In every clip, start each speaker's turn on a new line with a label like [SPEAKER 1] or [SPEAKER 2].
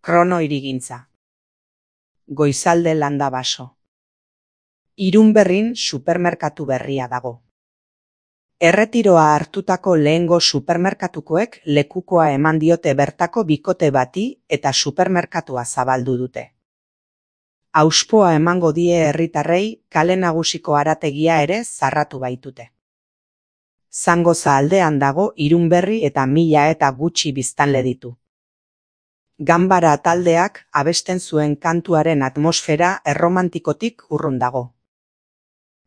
[SPEAKER 1] Krono hirigintza. Goizalde landa baso. Irunberrin supermerkatu berria dago. Erretiroa hartutako lehengo supermerkatukoek lekukoa eman diote bertako bikote bati eta supermerkatua zabaldu dute. Auspoa emango die herritarrei kale nagusiko harategia ere zarratu baitute. Zangoza aldean dago Irunberri eta 1000 eta gutxi biztanle ditu. Ganbara taldeak abesten zuen kantuaren atmosfera erromantikotik urrun dago.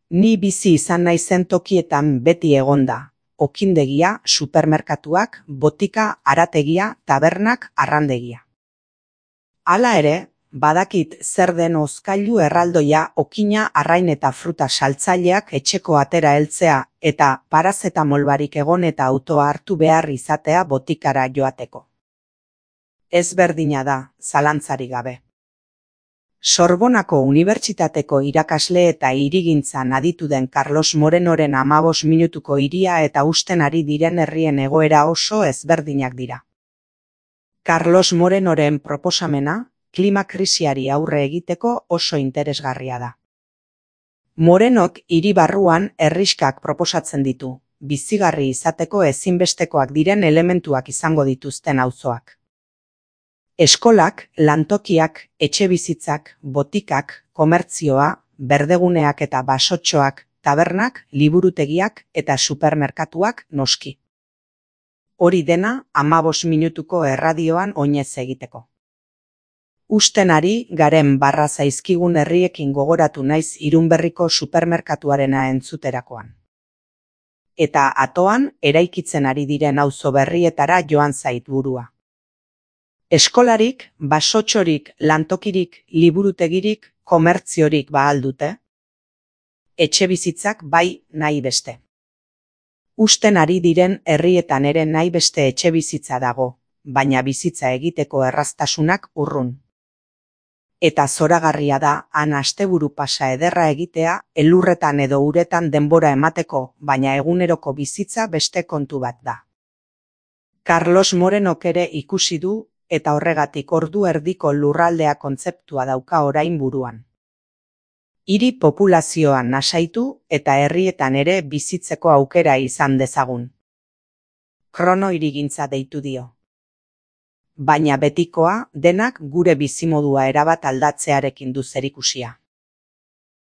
[SPEAKER 1] Ni bizi izan naizen tokietan beti egonda, okindegia, supermerkatuak, botika, harategia, tabernak, arrandegia. Hala ere, badakit zer den hozkailu erraldoia, okina, arrain eta fruta saltzaileak etxeko atera heltzea eta parazetamol barik egon eta autoa hartu behar izatea botikara joateko. Ezberdina da, zalantzarik gabe. Sorbonako Unibertsitateko irakasle eta hirigintzan aditu den Carlos Morenoren 15 minutuko hiria eta husten ari diren herrien egoera oso ezberdinak dira. Carlos Morenoren proposamena, klima krisiari aurre egiteko oso interesgarria da. Morenok hiri barruan herrixkak proposatzen ditu, bizigarri izateko ezinbestekoak diren elementuak izango dituzten auzoak. Eskolak, lantokiak, etxebizitzak, botikak, komertzioa, berdeguneak eta basotxoak, tabernak, liburutegiak eta supermerkatuak noski. Hori dena 15 minutuko erradioan oinez egiteko. Husten ari garen barra zaizkigun herriekin gogoratu naiz Irunberriko supermerkatuarena entzuterakoan. Eta atoan eraikitzen ari diren auzo berrietara joan zait burua. Eskolarik, basotxorik, lantokirik, liburutegirik, komertziorik ahal dute? Etxebizitzak bai nahi beste. Husten ari diren herrietan ere nahi beste etxebizitza dago, baina bizitza egiteko erraztasunak urrun. Eta zoragarria da han asteburu pasa ederra egitea, elurretan edo uretan denbora emateko, baina eguneroko bizitza beste kontu bat da. Carlos Morenok ere ikusi du, eta horregatik ordu erdiko lurraldea kontzeptua dauka orain buruan. Hiri populazioan nasaitu eta herrietan ere bizitzeko aukera izan dezagun. Krono hirigintza deitu dio. Baina betikoa denak gure bizimodua erabat aldatzearekin du zerikusia.